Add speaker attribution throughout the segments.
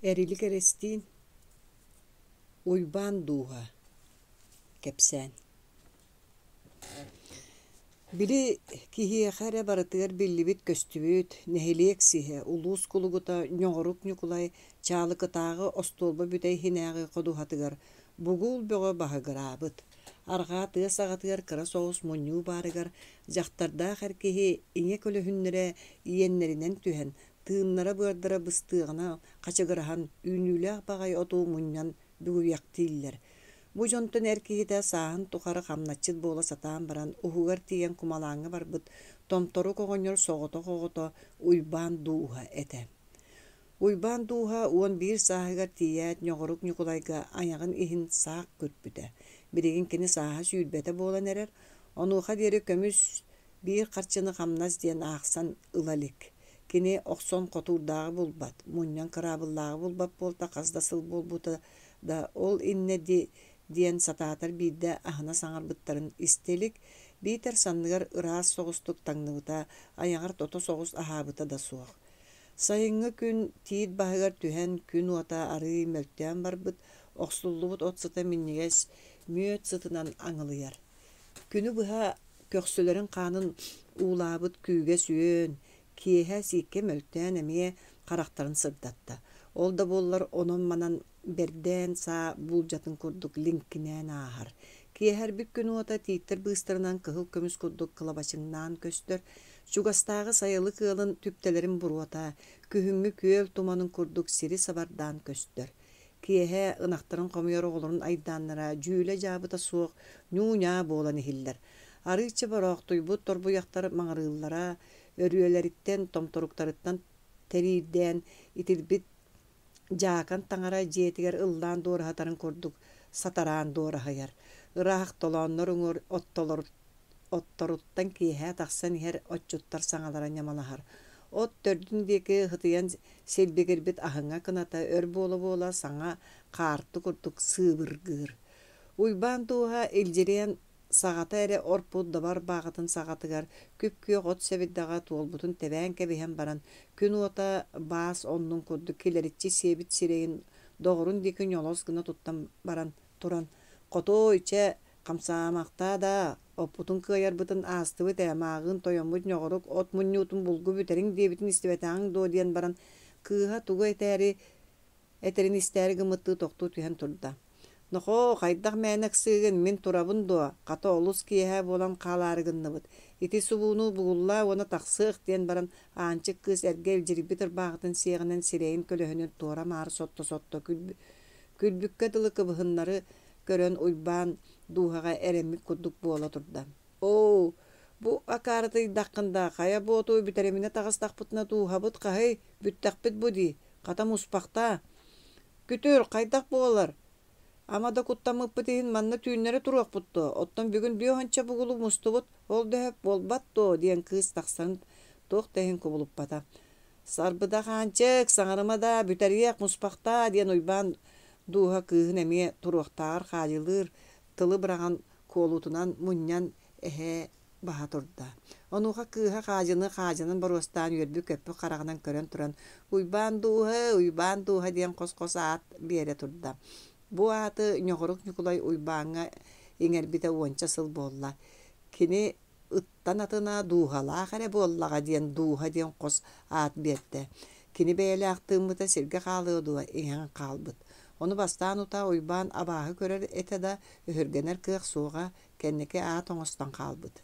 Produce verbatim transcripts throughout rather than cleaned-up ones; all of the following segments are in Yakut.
Speaker 1: Эрилик Эристиин Уйбаан Дууһа кэпсээн Били киһиэхэ эрэ барытыгар биллибит-көстүбүт, нэһилиэк сиһэ, улуус кулугута Ньоҕорук Ньукулай Чаалыкытааҕы остуолба бүтэй иһинээҕи ходуһатыгар бугул бөҕө баһыгыраабыт. Арҕаа тыа саҕатыгар кыра соҕус мунньуу баарыгар дьахтардаах эр киһи ийэ көлөһүннэрэ иэннэринэн түһэн, тыыннара-быардара быстыаҕына хачыгыраһан, үүнүүлээх баҕайы оту мунньан бүгүйэхтииллэр. Бу дьонтон эр киһитэ сааһын тухары хамначчыт буола сатаан баран, уһугар тиийэн кумалааҥҥа барбыт Томторук оҕонньор соҕотох оҕото Уйбаан Дууһа этэ. Уйбаан Дууһа уон биир сааһыгар тиийээт Ньоҕорук Ньукулайга айаҕын иһин саах күрпүтэ. Билигин кини сааһа сүүрбэтэ буолан эрэр, онуоха диэри көмүс биир харчыны хамнас диэн аахсан ыла илик. Кини охсон хотуурдааҕы булбат, мунньан кыраабыллааҕы булбат буолта хас да сыл буолбута да, ол иннэ диэн сатаатар биирдэ аһына саҥарбыттарын истэ илик, биитэр санныгар ыраас соҕустук таҥныбыта, айаҕар тото соҕус аһаабыта да суох. Сайыҥҥы күн тиит баһыгар түһэн, күн уота арыый мөлтөөн барбыт, охсуллубут от сыта минньигэс мүөт сытынан аҥылыйар. Күнү быһа көхсүлэрин хаанын уулаабыт күүгэс үөн, киэһэ сииккэ мөлтөөн эмиэ харахтарын сырдатта. Ол да буоллар онон-манан бэрдээн саа буулдьатын курдук лиҥкинээн ааһар. Киэһэрбит күн уота тииттэр быыстарынан кыһыл көмүс курдук кылабачыҥнаан көстөр. Чугастааҕы сайылык ыалын түптэлэрин буруота, күһүҥҥү күөл туманын курдук сири сабардаан көстөр. Киэһэ ынахтарын хомуйар оҕолорун айдааннара дьүүлэ-дьаабыта суох ньуу-ньаа буолан иһиллэр. Арыычча бороохтуйбут торбуйахтар маҥырыыллара, өрүөлэриттэн, томторуктарыттан тэриирдээн итирбит дьаакан таҥара дьиэтигэр ыллаан дуораһытарын курдук сатараан дуораһыйар. Ыраах толооннор уҥуор отторуттан киэһэ тахсан иһэр отчуттар саҥалара ньамалаһар. От төрдүн диэки ытыйан силбигирбит аһыҥа кыната өр буола-буола саҥа хаарты курдук сыыбыргыыр. Уйбаан Дууһа илдьириэн саҕата эрэ орпут дабар бааҕытын саҕатыгар күп-күөх от сэбирдэҕэ туолбутун тэбээн кэбиһэн баран, күн уота баас оннун курдук килэриччи сиэбит сирэйин доҕорун диэки ньолос гына туттан баран туран, «Хотуой, чэ, хамсаамахтаа даа, оппутун кыайарбытын аастыбыт ээ, мааҕыын тойоммут Ньоҕорук от мунньуутун булгу бүтэриҥ диэбитин истибэтэҕиҥ дуо?» диэн баран, кыыһа тугу этээри этэрин истээри гыммыттыы тохтуу түһэн турда. «Нохоо, хайдах мээнэ ыксыыгын, мин турабын дуо, хата олус киэһэ буолан хаалаары гынныбыт, ити субууну бугуллаа уонна тахсыах» диэн баран Аанчык кыыс эргэ илдьирийбит ырбаахытын сиэҕинэн сирэйин көлөһүнүн туора-маары сотто-сотто күлбүккэ дылы кыбыһыннары көрөн Уйбаан дууһаҕа эрэммит курдук буола турда. «Оо, бу акаарытыйдаххын да, хайа буоту бүтэриминэ таҕыстахпытына дууһабыт хаһый, бүттэхпит бу дии, хата муспахтаа. Күтүр, хайдах буолар? Ама да куттаммыппыт иһин манна түүннэри туруохпут дуо, оттон бүгүн бүө уонча бугулу мустубут, ол да сөп буолбат дуо?» диэн кыыс тахсан туох да иһин кубулуппата. «Сарбыдах Аанчык, саҥарыма даа, бүтэриэх, муспахтаа» диэн Уйбаан дууһа кыыһын эмиэ туруохтааҕар хаадьылыыр тылы быраҕан куолутунан мунньан эһээ баһа турда. Онуоха кыыһа хаадьыны хаадьынан боруостаан үөрбүт-көппүт хараҕынан көрөн туран «Уйбаан дууһа, Уйбаан дууһа» диэн хос-хос аат биэрэ турда. Бу ааты Ньоҕорук Ньукулай Уйбааҥҥа иҥэрбитэ уонча сыл буолла. Кини ыттан атына дууһалаах эрэ буоллаҕа диэн дууһа диэн хос аат биэрдэ. Кини бэйэлээх тыыммыта сиргэ хаалыа дуо, иҥэн хаалбыт. Ону бастаан утаа Уйбаан абааһы көрөр этэ да, өһүргэнэр кыах суоҕа, кэнники аат оҥостон хаалбыт.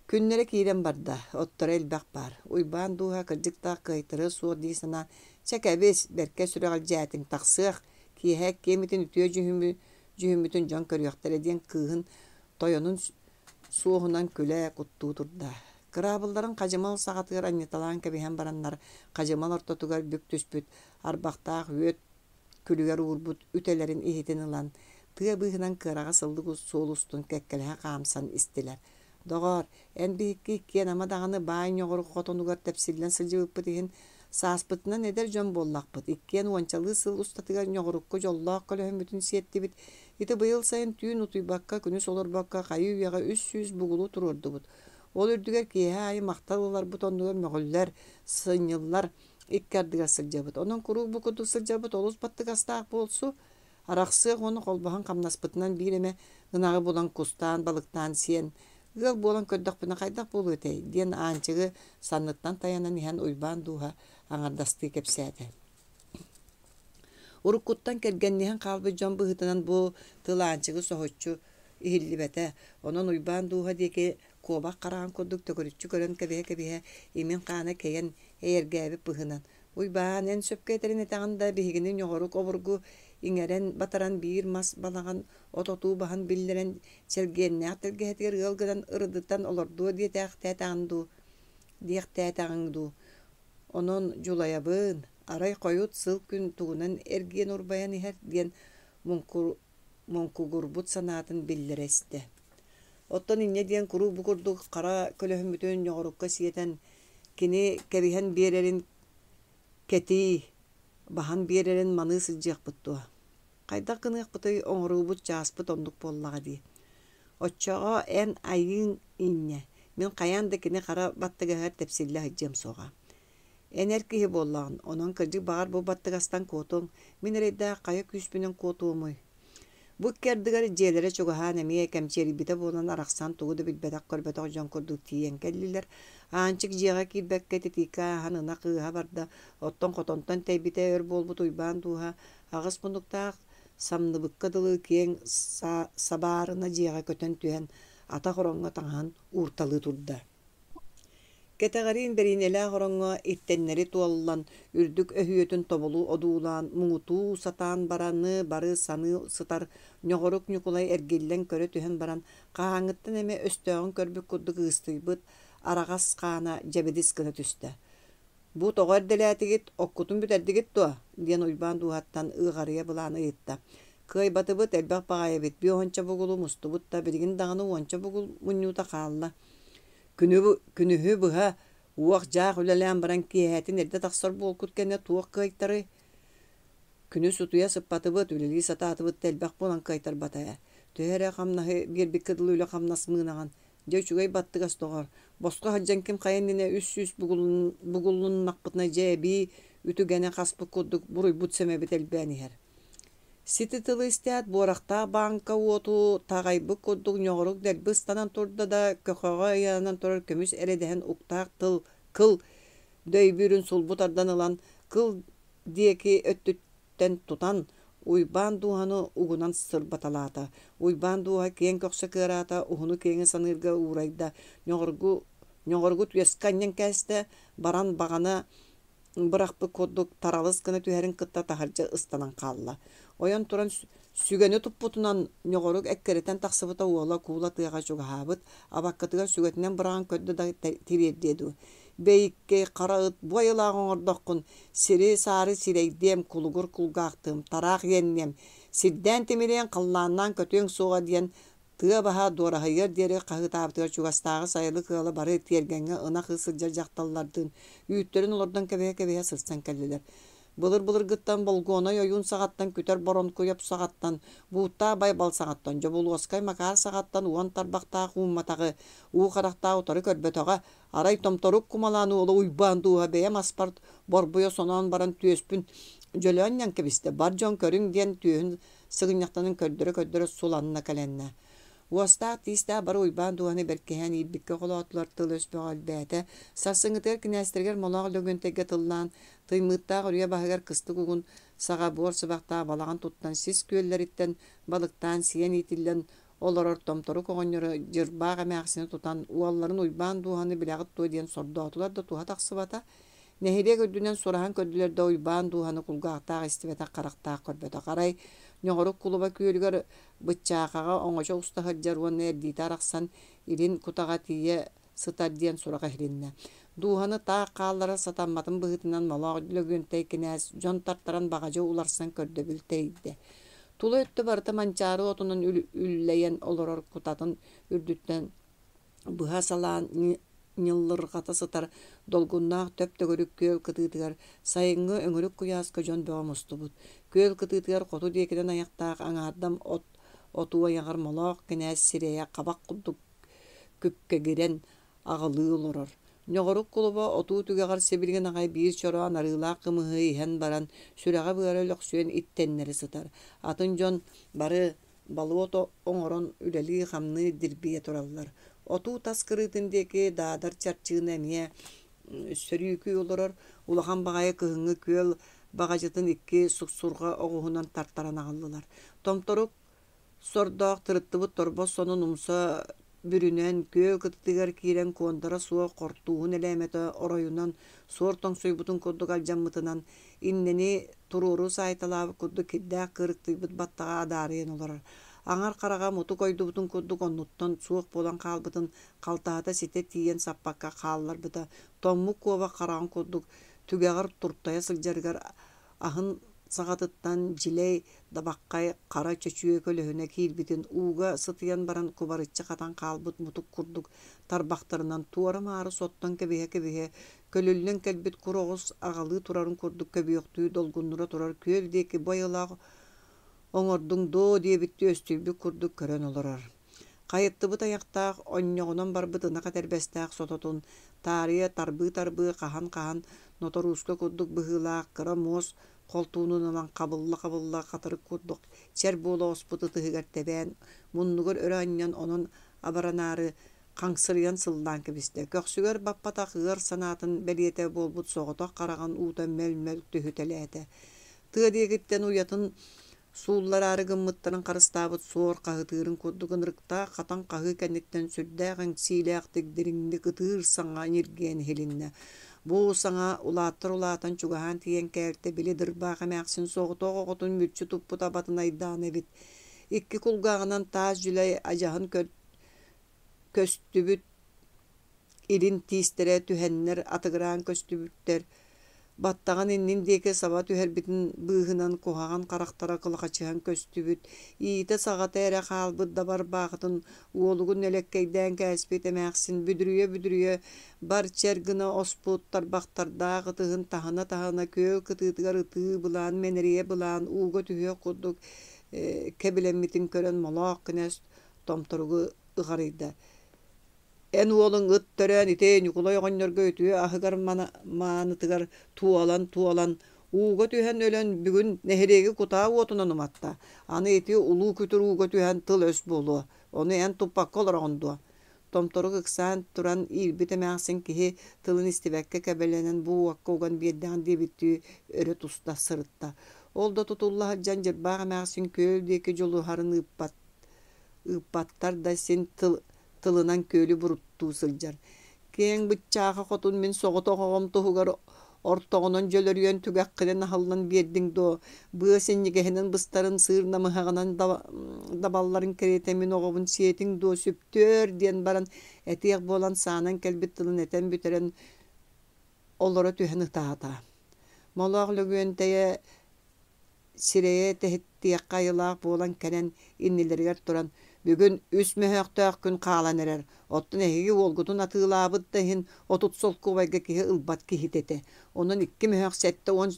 Speaker 1: Күннэрэ киирэн барда, отторо элбэх баар. Уйбаан дууһа кырдьыктаах кыайтарыа суох дии санаан, «Чэ кэбис, бэркэ сүрэҕэлдьээтиҥ, тахсыах, киэһэ иккиэммитин үтүө дьүһүммү дьүһүммүтүн дьон көрүөхтэрэ» диэн кыыһын тойонун суоһунан күлэ куттуу турда. Кыраабылларын хадьымал саҕатыгар анньыталаан кэбиһэн бараннар, хадьымал ортотугар бүк түспүт арбахтаах үөт күлүгэр уурбут үтэлэрин иһитин ылан, тыа быыһынан кыараҕас ыллык суол устун кэккэлэһэ хаамсан истилэр. Доҕоор, эн биһикки иккиэн ама даҕаны баай ньоҕорук хотонугар тэпсиллэн сылдьыбыппыт иһин, сааспытынан эдэр дьон буоллахпыт, иккиэн уончалыы сыл устатыгар ньоҕорукка дьоллоох көлөһөммүтүн сиэттибит. Ити быйыл сайын түүн утуйбакка, күнүс олорбокко хайыы-үйэҕэ үс сүүс бугулу туруордубут. Ол үрдүгэр киэһэ аайы махтал ыларбыт оннугар мөҕүллэр, сынньыллар, икки ардыгар сылдьабыт. Онон куруук бу курдук сылдьарбыт олус баттыгастаах буолсу. Арахсыах уонна холбоһон хамнаспытынан биир эмэ ынаҕы булан кустаан, балыктаан сиэн, ыал буолан көрдөхпүнэ хайдах буолуо этэй диэн Аанчыгы санныттан тайанан иһэн Уйбаан дууһа аҥардастыы кэпсээтэ. Уруккуттан кэргэнниһэн хаалбыт дьон быһыытынан бу тыл Аанчыгы соһуччу иһиллибэтэ. Онон Уйбаан дууһа диэки куобах хараҕын курдук төгүрүччү көрөн кэбиһэ-кэбиһэ имин хаана кэйэн эйэргээбит быһыынан «Уйбаан, эн сөпкө этэрин этэҕин да, биһигини ньоҕорук обургу иҥэрэн батаран биир мас балаҕан от отуу баһын биллэрэн Чэлгиэннээх тэлгэһэтигэр ыал гынан ырыдытан олордуо диэтээхтээтэҕин дуу, диэхтээтэҕиҥ дуу Онон дьулайабын, арай хойут сыл күн тугунан эргийэн урбайан иһэр» диэн муҥкугурбут санаатын биллэрэ истэ. Оттон инньэ диэн куруук бу курдук хара көлөһүммүтүн ньоҕорукка сиэтэн, кини кэбиһэн биэрэрин кэтии, баһан биэрэрин маныы сылдьыахпыт дуо? Хайдах гыныахпытый, оҥоруубут чааспыт оннук буоллаҕа дии. Оччоҕо эн айыыҥ инньэ, мин хайаан да кини хара баттыгаһыгар тэпсиллэ сылдьыам суоҕа. Эн эр киһи буоллаҕын, онон кырдьык баҕар бу баттыгастан куотуоҥ, мин эрэйдээх хайа күүспүнэн куотуомуй? Бу икки ардыгар дьиэлэрэ чугаһаан эмиэ кэмчиэрийбитэ буолан арахсан тугу да билбэтэх-көрбөтөх дьон курдук тиийэн кэллилэр. Аанчык дьиэҕэ киирбэккэ титииккэ ааһан ынах ыыһа барда, оттон хотонтон тэйбитэ өр буолбут Уйбаан дууһа аҕыс муннуктаах самныбыкка дылы киэҥ сабаарына дьиэҕэ көтөн түһэн атах ороҥҥо таҥаһын уурталыы турда. Кэтэҕэриин бэриинэлээх ороҥҥо иттэннэри туоллан, үрдүк өһүөтүн тобулу одуулаан, муҥутуу сатаан бараны бары саныы сытар Ньоҕорук Ньукулай эргиллэн көрө түһэн баран, хаһааҥҥыттан эмэ өстөөҕүн көрбүт курдук ыыстыйбыт араҕас хаана дьэбидис гына түстэ. «Бу тоҕо эрдэлээтигит, оккутун бүтэрдигит дуо?» диэн Уйбаан дууһаттан ыаҕарыйа былаан ыйытта. «Кыайбатыбыт, элбэх баҕайы эбит, биэ уонча бугулу мустубут да, билигин даҕаны уонча бугул мунньуута хаалла. Күнү, күнүһү быһа уох-дьаах үлэлээн баран киэһэтин эрдэ тахсар буолкут кэннэ туох кыайтарый? Күнүс утуйа сыппатыбыт, үлэлии сатаатыбыт да элбэх буолан кыайтарбата ээ. Төһө эрэ хамнаһы биэрбиккэ дылы үлэ-хамнас мыынаҕын. Дьэ үчүгэй баттыгас доҕор, босхо сылдьан ким хайа иннинэ үс сүүс бугуллуннахпытына дьэ эбии үтүгэнэ хаспыт курдук буруйбут-сэмэбит элбээн иһэр. Сити тылы истээт, буорахтаах бааҥка уоту таҕайбыт курдук ньоҕорук дэлби ыстанан турда да, көхөҕө ыйанан турар көмүс эрэдэһин уктаах тыл кыл дөйбүүрүн сулбу тардан ылан, кыл диэки өттүттэн тутан, Уйбаан дууһаны угунан сырбаталаата. Уйбаан дууһа киэҥ көхсө кыараата, уһуну-киэҥи саныырга уурайда, ньоҕоргу, ньоҕоргу түөскэ анньан кээстэ, баран баҕана бырахпыт курдук таралыс гына түһэрин кытта таһырдьа ыстанан хаалла. Ойон туран сүгэни туппутунан ньоҕорук эккирэтэн тахсыбыта уола куула тыаҕа чугаһаабыт, абаккатыгар сүгэтинэн быраҕан көрдө да тириэрдиэ дуу. Бэйиккэй, хара ыт, бу айылаах оҥордоххун, сири-саары сирэйдиэм, кулугур кулгаахтыам, тараах иэнниэм, сирдээн тимириэҥ, халлааннаан көтүөҥ суоҕа диэн тыа баһа дуораһыйыар диэри хаһыытаабытыгар чугастааҕы сайылык ыала бары тиэргэҥҥэ ынах ыы сылдьар дьахталлардыын үүттэрин олордон кэбиһэ-кэбиһэ сырсан кэллилэр. Былыр-былыргыттан Болгуонай ойуун саҕаттан, Күтэр Боронкуйап саҕаттан, Бууттаах Байбал саҕаттан, Дьобулуоскай Макаар саҕаттан уон тарбахтаах уумматаҕы, уу харахтаах утары көрбөтөҕө, арай томторук кумалаан уола Уйбаан дууһа бэйэм аспар борбуйа соноон баран түөспүн дьөлөөн ньан кэбистэ, бар дьон көрүҥ диэн түөһүн сыгынньахтанан көрдөрө-көрдөрө суланна кэлэннэ. Уостаах тиистээх бары Уйбаан дууһаны бэркиһээн иирбиккэ холоотулар, тыл-өс бөҕө элбээтэ. Сарсыҥҥытыгар кинээстэригэр Молоох Лөгөнтөйгө тыллаан, Тыймыыттаах үрүйэ баһыгар кыстык угун саҕа буор сыбахтаах балаҕан туттан сис күөллэриттэн балыктаан сиэн иитиллэн олорор Томторук оҕонньору Дьырбаах эмээхсини тутан уолларын Уйбаан дууһаны билэҕит дуо диэн сордоотулар да туһа тахсыбата. Нэһилиэк үрдүнэн сураһан көрдүлэр да Уйбаан дууһаны кулгаахтаах истибэтэх, харахтаах көрбөтөх. Арай Ньоҕорук кулуба күөлүгэр Быччаахаҕа оҥочо уста сылдьар уонна эрдиитэ арахсан илин кутаҕа тиийэ сытар диэн сурах иһилиннэ. Дууһаны таах хаалларар сатамматын быһыытынан Молоох Лөгүөнтэй кинээс дьон тартаран баҕадьы уларсан көрдөбүл тэрийдэ. Тула өттө барыта манчаары отунан үллэйэн олорор кутатын үрдүттэн быһа салаан ньыллырҕата сытар долгуннаах төп-төгүрүк күөл кытыытыгар сайыҥҥы өҥүрүк куйааска дьон бөҕө мустубут. Күөл кытыытыгар хоту диэкинэн айахтаах аҥаардам от отуу айаҕар Молоох кинээс сирэйэ хабах курдук күккэгирэн аҕылыы олорор. Ньоҕорук кулуба отуу түгэҕэр сибилигин аҕай биир чороон арыылаах кымыһы иһэн баран, сүрэҕэ-быара өлөхсүйэн иттэннэри сытар. Атын дьон бары болуот оҥорон үлэлии-хамныы дирбийэ тураллар. Отуу тас кырыытын диэки Даадар Чарчыына эмиэ сөрүүкүү олорор, улахан баҕайы кыһыҥҥы күөл баҕадьытын икки суксурҕа оҕуһунан тартаран аҕаллылар. Томторук сордоох тырыттыбыт торбос сонун умса бүрүнэн, күөл кытытыгар киирэн куондара суох хортууһун элээмэтэ оройунан суор тоҥсуйбутун курдук алдьаммытынан, иннэни туруору саайталаабыт курдук кирдээх кыырыктыйбыт баттаҕа адаарыйан олорор. Аҥар хараҕа мутук ойдубутун курдук оннуттан суох буолан хаалбытын халтаһата ситэ тиийэн саппакка хаалларбыта, тоҥмут куобах хараҕын курдук түгэҕэр туртайа сылдьарыгар аһын саҕатыттан дьилэй дабаххай хара чөчүө көлөһүнэ киирбитин ууга сытыйан баран кубарыччы хатан хаалбыт мутук курдук тарбахтарынан туора-маары соттон кэбиһэ-кэбиһэ көлүллэн кэлбит кур оҕус аҕалыы турарын курдук көбүөхтүү долгуннура турар күөл диэки бу айылаах оҥордуҥ дуо диэбиттии өстүйбүт курдук көрөн олорор. Хайыттыбыт айахтаах, онньоҕунан барбыт ынах этэрбэстээх сототун таарыйа тарбыы-тарбыы хаһан-хаһан ноторууска курдук быһыылаах кыра муос холтуунун ылан хабылла-хабылла хатырык курдук чэр буола оспут ытыһыгар тэбээн, муннугар өрө анньан онон абаранаары хаҥсырыйан сыллаан кэбистэ. Көхсүгэр баппатах ыар санаатын бэлиэтэ буолбут соҕотох хараҕын уута мөл-мөл түһүтэлээтэ. Тыа диэкиттэн уйатын сууллараары гыммыттарын харыстаабыт суор хаһытыырын курдук ынырыктаах хатан хаһыы кэнниттэн сүрдээх эҥсиилээхтик дириҥник ытыыр саҥа ньиргийэн иһилиннэ. Бу саҥа улааттар улаатан чугаһаан тиийэн кээлтэ били дырбаах эмээхсин соҕотох оҕотун мүччү туппут абатын айдаана эбит. Икки кулгааҕынан таас дьүлэй адьаһын көстүбүт илин тиистэрэ түһэннэр атыгыраан көстүбүттэр, баттаҕын иннин диэки саба түһэрбитин быыһынан куһаҕан харахтара кылахачыһан көстүбүт, иитэ-саҕата эрэ хаалбыт дабар баахытын уолугун нэлэккэйдээн кээспит эмээхсин бүдүрүйэ-бүдүрүйэ бар чэр гына оспут тарбахтардаах ытыһын таһына-таһына күөл кытыытыгар ытыы былаан мэнэрийэ былаан ууга түһүөх курдук э, кэбилэммитин көрөн Молоох кинээс томторугу ыҕарыйда. Эн уолуҥ ыт төрөөн ити Ньукулай оҕонньорго үтүө аһыгар маанытыгар туолан-туолан, ууга түһэн өлөн бүгүн нэһилиэги кутаа уотунан уматта. Аны ити улуу күтүр ууга түһэн тыл-өс буолуо. Ону эн туппакка олороҕун дуо? Томторук ыксаан туран иирбит эмээхсин киһи тылын истибэккэ кэбэлэнэн бу уокка уган биэрдэҕин диэбиттии өрө туста сырытта. Ол да тутулла сылдьан Дьырбаах эмээхсин күөл диэки дьулуһарын ыыппат ыыппаттар да син тыл тылынан күөлү буруттуу сылдьар. Киэҥ быччааха хотун мин соҕотох оҕом туһугар ортоҕунан дьөлөрүйэн түгэххинэн аһыллан биэрдиҥ дуо? Быа синньигэһинэн быстарын сыыр намыһаҕынан дабалларын кэриэтэ мин оҕобун сиэтиҥ дуо сүптүөр диэн баран этиэх буолан саанан кэлбит тылын этэн бүтэрэн олоро түһэн ытаата. Молоох Лөгүөнтэйэ сирэйэ тэһиттиэххэ айылаах буолан кэлэн иннилэригэр туран бүгүн үс мөһөөхтөөх күн хаалан эрэр, оттон эһиги уолгутун атыылаабыт да иһин отут солкуобайга киһи ылбат киһитэ этэ, онон икки мөһөөх сэттэ уон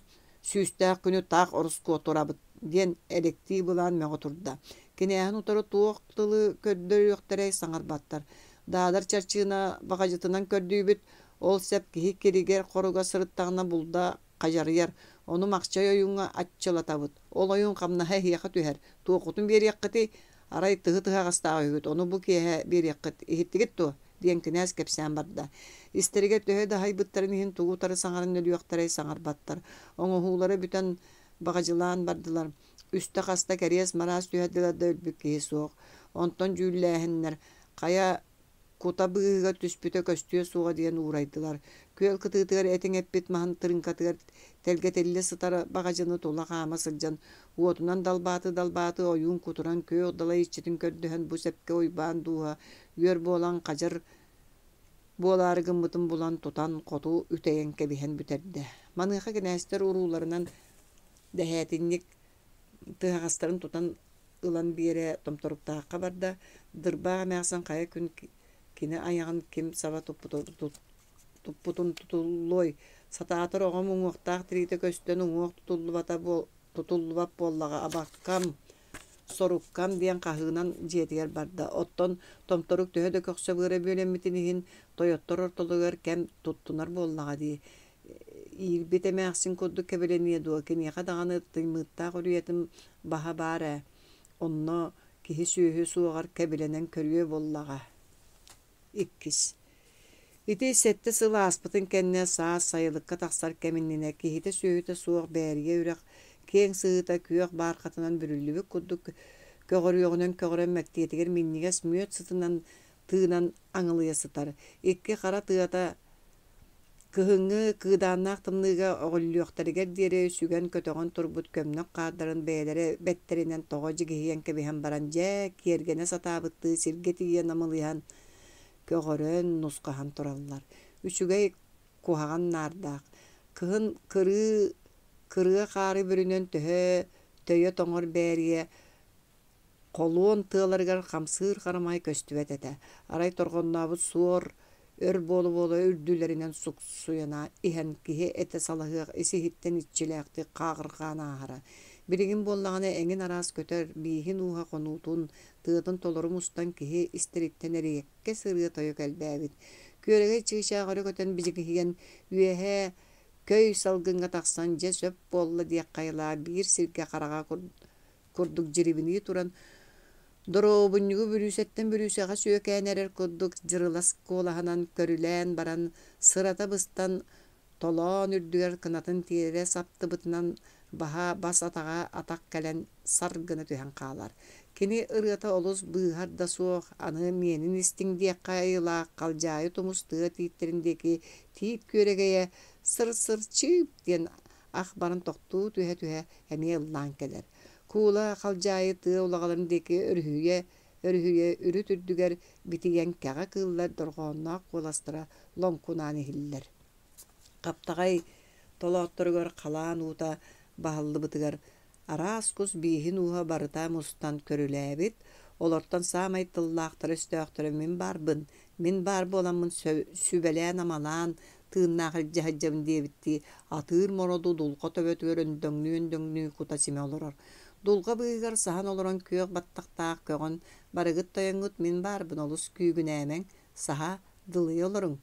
Speaker 1: сүүстээх күнү таах ороскуотурабыт диэн элэктии былаан мөҕө турда. Кинээһин утары туох тылы көрдөрүөхтэрэй саҥарбаттар. Даадар Чарчыына баҕадьытынан көрдүүбүт, ол сэп киһи киригэр-хоруга сырыттаҕына булда хадьарыйар, ону Махчай ойууҥҥа аччылатабыт, ол ойуун хамнаһа эһиэхэ түһэр, туоххутун биэриэххитий, арай тыһы тыһаҕастаах үһүгүт, ону бу киэһэ биэриэххит, иһиттигит дуо диэн кинээс кэпсээн барда. Истэригэр төһө да аһайбыттарын иһин тугу утары саҥаран өлүөхтэрэй саҥарбаттар. Оҥоһуулара бүтэн баҕадьылаан бардылар. Үстэ-хаста кэриэс-мараас түһэрдилэр да өлбүт киһи суох. Онтон дьүүллээһиннэр хайа кута быыһыгар түспүтэ көстүө суоҕа диэн уурайдылар. Күөл кытыытыгар этиҥ эппит маһын тырыыҥкатыгар тэлгэтиллэ сытар баҕадьыны тула хаама сылдьан, уотунан далбааты-далбааты ойуун кутуран күөх далай иччитин көрдөһөн бу сэпкэ Уйбаан дууһа үөр буолан хадьар буолаары гыммытын булан тутан хоту үтэйэн кэбиһэн бүтэрдэ. Маныаха кинээстэр урууларынан дэһээтинньик тыһаҕастарын тутан ылан биэрэ Томторуктаахха барда. Дырбаах эмээхсин хайа күн кини айаҕын ким саба туппутун тутуллуой, сатаатар оҕом уҥуохтаах тириитэ көстөн уҥуох тутуллубата тутуллубат буоллаҕа абаккам соруккам диэн хаһыынан дьиэтигэр барда. Оттон Томторук төһө да көхсө быара бүөлэммитин иһин, тойоттор ортолоругар кэм туттунар буоллаҕа дии. Иирбит эмээхсин курдук кэбилэниэ дуо, киниэхэ даҕаны Тыймыыттаах үрүйэтин баһа баар ээ. Онно киһи-сүөһү суоҕар кэбилэнэн көрүө буоллаҕа. Иккис. Ити сэттэ сыл ааспытын кэннэ саас сайылыкка тахсар кэм иннинэ киһитэ-сүөһүтэ суох Бээрийэ үрэх киэҥ сыһыыта күөх баархатынан бүрүллүбүт курдук көҕөрүөҕүнэн көҕөрөн мэктиэтигэр минньигэс мүөт сытынан тыынан аҥылыйа сытар. Икки хара тыата кыһыҥҥы кыыдааннаах тымныыга өҕүллүөхтэригэр диэри сүгэн-көтөҕөн турбут көмнөх хаардарын бэйэлэрэ бэттэринэн тоҕо дьигиһийэн кэбиһэн баран дьэ киэргэнэ сатаабыттыы сиргэ тиийэ намылыйан көҕөрөн, нусхаһан тураллар. Үчүгэй куһаҕан наардаах. Кыһын кырыы кырыа хаары бүрүнэн төһө төйө тоҥор Бээрийэ холуон тыаларыгар хамсыыр харамай көстүбэт этэ. Арай торҕоннообут суор өр буола-буола үрдүлэринэн суксуйан иһэн киһи этэ салаһыах ис-иһиттэн иччилээхтик хааҕырҕаан ааһара. Билигин буоллаҕына эҥин араас көтөр, бииһин ууһа хонуутун, тыатын толору мустан киһи истэриттэн эриэккэс ырыа-тойук элбээбит. Күөрэгэй чыычаах өрө көтөн бидьигиһийэн үөһэ көй салгыҥҥа тахсан дьэ сөп буолла диэх хайалаах биир сиргэ хараҕа курдук дьирибинии туран доруобунньугу бүрүүсэттэн бүрүүсэҕэ сүөкээн эрэр курдук дьырылас куолаһынан көрүлээн баран сырата быстан толоон үрдүгэр кынатын тиэрэ саптыбытынан баһа бас атаҕа атах кэлэн сар гына түһэн хаалар. Кини ырыата олус быыһар да суох, аны миэнин истиҥ диэххэ айылаах халдьаайы тумус тыа тииттэрин диэки тиит күөрэгэйэ сыр-сыр чыып диэн ах баран тохтуу түһэ-түһэ эмиэ ыллаан кэлэр. Куула халдьаайы тыа улаҕаларын диэки өрүһүйэ өрүһүйэ үрүт үрдүгэр битийэн кэҕэ кыыллар дорҕоонноох куоластара лоҥкунаан иһиллэр. Хаптаҕай толоотторугар халаан уута баһыллыбытыгар араас кус бииһин ууһа барыта мустан көрүлээбит, олортон саамай тыллаахтара-өстөөхтөрө мин баарбын, мин баар буоламмын сүбэлээн-амалаан тыыннаах илдьэ сылдьабын диэбиттии атыыр мороду дулҕа төбөтүгэр өндөҥнүү-өндөҥнүү кута-симэ олорор. Дулҕа быыһыгар саһан олорон күөх баттахтаах көҕөн барыгыт тойоҥҥут мин баарбын олус күүгүнээмэҥ, саһа дылыйа олоруҥ,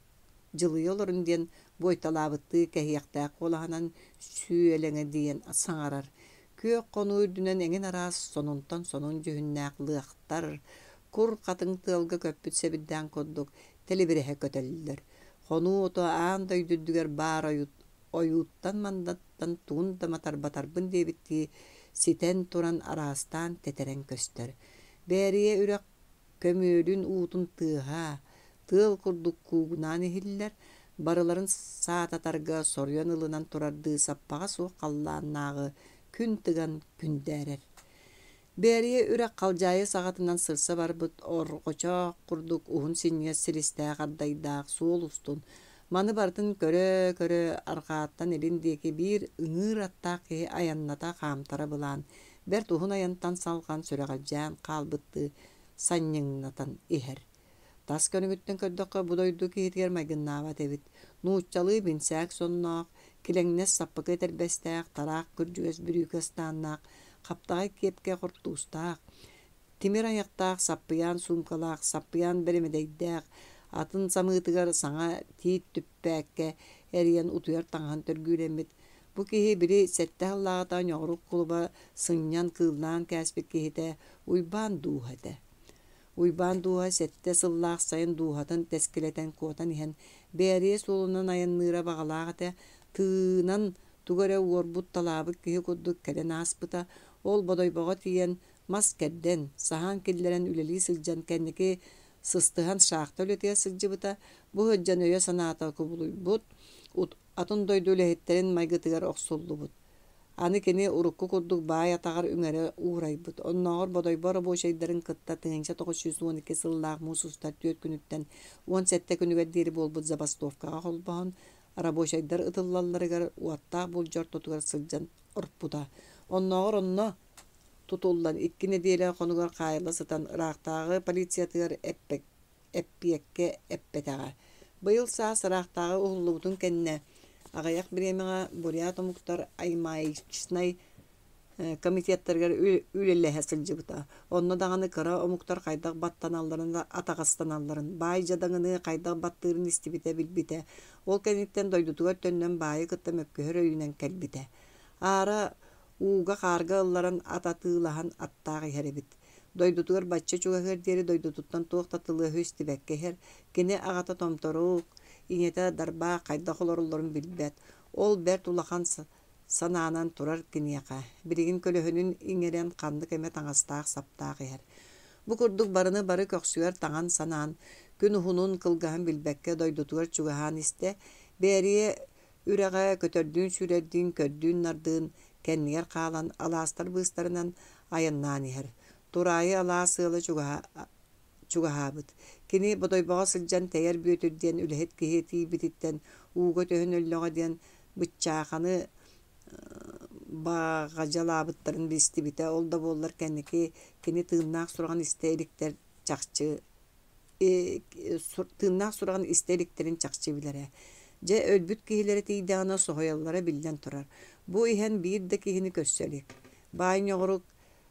Speaker 1: дьылыйа олоруҥ диэн буойталаабыттыы кэһиэхтээх куолаһынан сүөлэҥэдийэн саҥарар. Күөх хонуу үрдүнэн эҥин араас сонунтан сонун дьүһүннээх лыахтар, кур хатыҥ тыалга көппүт сэбирдээн курдук тэлибирэһэ көтөллөр. Хонуу ото аан дойду үрдүгэр баар ойууттан-мандаттан тугун да матарбатарбын диэбиттии ситэн туран араастаан тэтэрэн көстөр. Бээрийэ үрэх көмүөлүн уутун тыаһа, тыал курдук куугунаан иһиллэр, барыларын саататарга соруйан ылынан турардыы саппаҕа суох халлааннааҕы күн тыган күндээрэр. Бээрийэ үрэх халдьаайы саҕатынан сырса барбыт орҕочоох курдук уһун синньигэс силистээх ардайдаах суол устун маны барытын көрө-көрө арҕааттан илин диэки биир ыҥыыр аттаах киһи айанната хаамтара былаан, бэрт уһун айантан салҕан сүрэҕэлдьээн хаалбыттыы санньыҥнатан иһэр. Тас көрүҥүттэн көрдөххө бу дойду киһитигэр майгыннаабат эбит. Нууччалыы бинсээк сонноох, килэҥнэс саппыкы этэрбэстээх, тараах күрдьүгэс бүрүүкэ ыстааннаах, хаптаҕай киэпкэ хортуустаах, тимир айахтаах, саппыйаан суумкалаах, саппыйаан бэрэмэдэйдээх, атын самыытыгар саҥа тиит түппээккэ эрийэн утуйар таҥаһын төргүүлэммит. Бу киһи били сэттэ сыллааҕыта Ньоҕорук кулуба сынньан кыыллаан кээспит киһитэ Уйбаан Дууһа этэ. Уйбаан Дууһа сэттэ сыллаах сайын дууһатын тэскилэтэн куотан иһэн Бээрийэ суолунан айанныыра баҕалаах этэ, тыынан тугу эрэ уорбут-талаабыт киһи курдук кэлэн ааспыта. Ол Бодойбоҕо тиийэн мас кэрдэн, саһаан киллэрэн үлэлии сылдьан кэнники сыстыһан шахта үлэтигэр сылдьыбыта. Бу сылдьан өйө-санаата кубулуйбут, атын дойду үлэһиттэрин майгытыгар охсуллубут. Аны кини урукку курдук баай атаҕар үҥэрэ уурайбыт. Оннооҕор Бодойбо рабочайдарын кытта тыһыынча тоҕус сүүс уон икки сыллаах муус устар түөрт күнүттэн уон сэттэ күнүгэр диэри буолбут забастовкаҕа холбоһон, рабочайдар ытыллалларыгар уоттаах булдьа ортотугар сылдьан орпута. Оннооҕор онно тутуллан икки нэдиэлэ хонугар хаайылла сытан ыраахтааҕы полициятыгар эппиэккэ эппэтэҕэ. Быйыл саас ыраахтааҕы уһуллубутун кэннэ аҕыйах бириэмэҕэ бурят омуктар аймаичнай комитеттарыгар үлэлэһэ сылдьыбыта. Онно даҕаны кыра омуктар хайдах баттаналларын, атаҕастаналларын, баай дьадаҥыны хайдах баттыырын истибитэ, билбитэ. Ол кэнниттэн дойдутугар төннөн баайы кытта мөккүһэр өйүнэн кэлбитэ. Аара ууга-хаарга ылларан ат атыылаһан аттаах иһэр эбит. Дойдутугар бачча чугаһыар диэри дойдутуттан туох да тылы-өһү истибэккэ иһэр. Кини аҕата Томторук, ийэтэ Дарбаах хайдах олороллорун билбэт. Ол бэрт улахан санаанан турар киниэхэ. Билигин көлөһүнүн иҥэрэн ханнык эмэ таҥастаах-саптаах иһэр. Бу курдук барыны бары көхсүгэр таҥан санаан, күн уһунун кылгаһын билбэккэ дойдутугар чугаһаан истэ. Бээрийэ үрэҕэ көтөрдүүн-сүүрэрдиин, көрдүүн-нардыын кэннигэр хаалан алаастар быыстарынан айаннаан иһэр. Тураайы алаас ыала чугаһаабыт. Кини Бодойбоҕо сылдьан Тэйэр Бүөтүр диэн үлэһит киһи тиийбититтэн ууга түһэн өллөҕө диэн быччааханы баҕадьалаабыттарын билистибитэ. Ол да буоллар кэнники кини тыыннаах сураҕын истэ иликтэр чахчы тыыннаах сураҕын истэ иликтэрин чахчы билэрэ. Дьэ өлбүт киһилэрэ тиийдэҕинэ соһуйаллара биллэн турар. Бу иһэн биир да киһини көрсө илик. Баай Ньоҕорук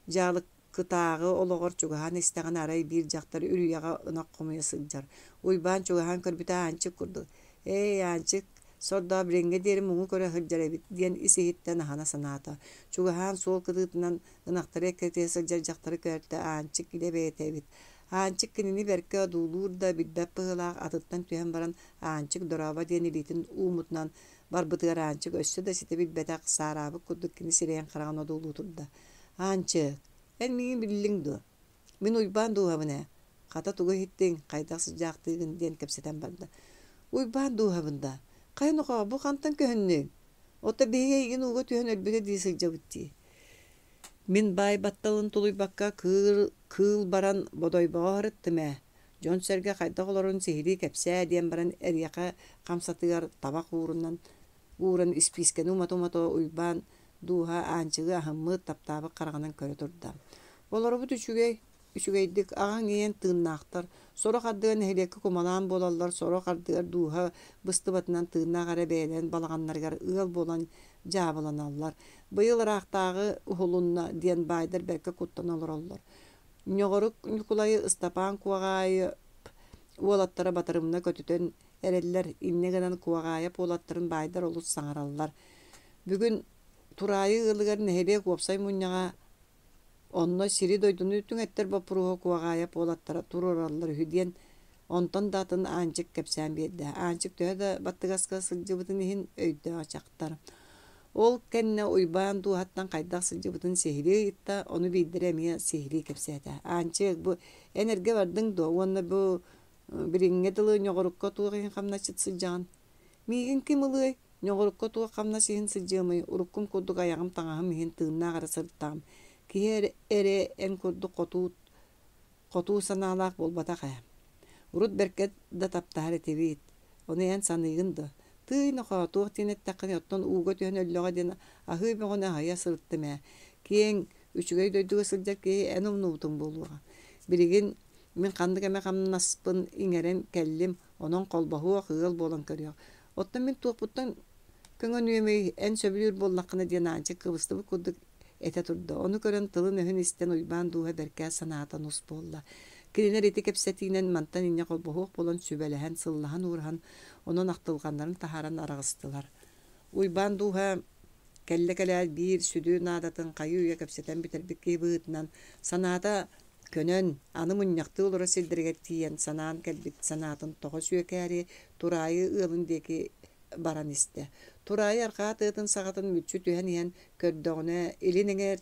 Speaker 1: дьаалыкытааҕы олоҕор чугаһаан истэҕинэ арай биир дьахтар үрүйэҕэ ынах хомуйа сылдьар. Уйбаан чугаһаан көрбүтэ Аанчык курдук. «Эй, Аанчык, сордоох билиҥҥэ диэри муҥу көрө сылдьар эбит» диэн ис-иһиттэн аһына санаата. Чугаһаан суол кытыытынан ынахтары эккирэтиһэ сылдьар дьахтары көртө Аанчык илэ бэйэтэ эбит. Аанчык кинини бэркэ одуулуур да билбэт быһыылаах атыттан түһэн баран Аанчык дорообо диэн илиитин ууммутунан барбытыгар Аанчык өссө да ситэ билбэтэх, саараабыт курдук кини сирэйин-хараҕын одуулуу турда. «Аанчык, эн миигин биллиҥ дуо? Мин Уйбаан дууһабын ээ. Хата тугу иһиттиҥ, хайдах сылдьаахтыыгын?» диэн кэпсэтэн барда. «Уйбаан дууһабын да? Хайа нохоо, бу хантан көһүннүҥ? Ото биһиги эйигин ууга түһэн өлбүтэ дии сылдьабыт дии». Мин баай батталын тулуйбакка кыыл, кыыл баран Бодойбоҕо сырыттым ээ. Дьон-сэргэ хайдах олорорун сиһилии кэпсээ диэн баран эриэхэ хамсатыгар табах уурунан ууран испиискэни умата-умата Уйбаан дууһа Аанчыгы аһыммыт, таптаабыт хараҕынан көрө турда. Олоробут үчүгэй, үчүгэйдик, аҕаҥ ийэн тыыннаахтар. Сорох ардыгар нэһилиэккэ кумалаан буолаллар, сорох ардыгар дууһа быстыбатынан тыыннаах эрэ бэйэлэрин балаҕаннарыгар ыал буолан дьаабыланаллар. Быйыл ыраахтааҕы уһулунна диэн баайдар бэркэ куттана олороллор. Ньоҕорук Ньукулайы Ыстапаан Куоҕаайы уолаттара батарымна көтүтэн эрэллэр, инньэ гынан Куоҕаайап уолаттарын баайдар олус саҥараллар. Бүгүн Тураайы ыалыгар нэһилиэк уопсай мунньаҕа онно сири-дойдуну түҥэттэр боппуруоһу Куоҕаайап уолаттара туруораллар үһү диэн онтон да атын Аанчык кэпсээн биэрдэ. Аанчык төһө да баттыгаска сылдьыбытын иһин өйдөөх дьахтар. Ол кэннэ Уйбаан дууһаттан хайдах сылдьыбытын сиһилии ыйытта, ону биирдэрэ эмиэ сиһилии кэпсээтэ. «Аанчык, бу эн эргэ бардыҥ дуо уонна бу билиҥҥэ дылы Ньоҕорукка туох иһин хамначчыт сылдьаҕын? Миигин ким ылыай? Ньоҕорукка туох хамнас иһин сылдьыамый? Уруккум курдук айаҕым таҥаһым иһин тыыннаах эрэ сырыттаҕым. Киһи эрэ, эрэ эн курдук хотуу, хотуу санаалаах буолбатах ээ. Урут бэркэ да таптаһар этибит. Ону эн саныыгын дуо? Тыый нохоо, туох диэн эттэххиний, оттон ууга түһэн өллөҕө диэн аһыы бөҕөнү аһыйа сырыттым ээ. Киэҥ, үчүгэй дойдуга сылдьар киһи эн умнубутуҥ буолуоҕа. Билигин мин ханнык эмэ хамнаспын иҥэрэн кэллим, онон холбоһуох, ыал буолан көрүөх. Оттон мин туохпуттан көҥөнүөмүй, эн сөбүлүүр буоллаххына диэн Аанчык кыбыстыбыт курдук этэ турда. Ону көрөн тылын-өһүн истэн Уйбаан дууһа бэркэ санаата нус буолла. Кинилэр ити кэпсэтиинэн мантан инньэ холбоһуох буолан сүбэлэһэн, сыллаһан-уураһан, онон ахтылҕаннарын таһааран араҕыстылар. Уйбаан дууһа кэллэ кэлээт биир сүдү наадатын хайыы-үйэ кэпсэтэн бүтэрбит киһи быһыытынан санаата көнөн, аны мунньахтыы олорор сирдэригэр тиийэн санаан кэлбит санаатын тоҕо сүөкээри Тураайы ыалын диэки баран истэ. Тураайы арҕаа тыатын саҕатын мүччү түһэн иһэн көрдөҕүнэ, илин эҥэр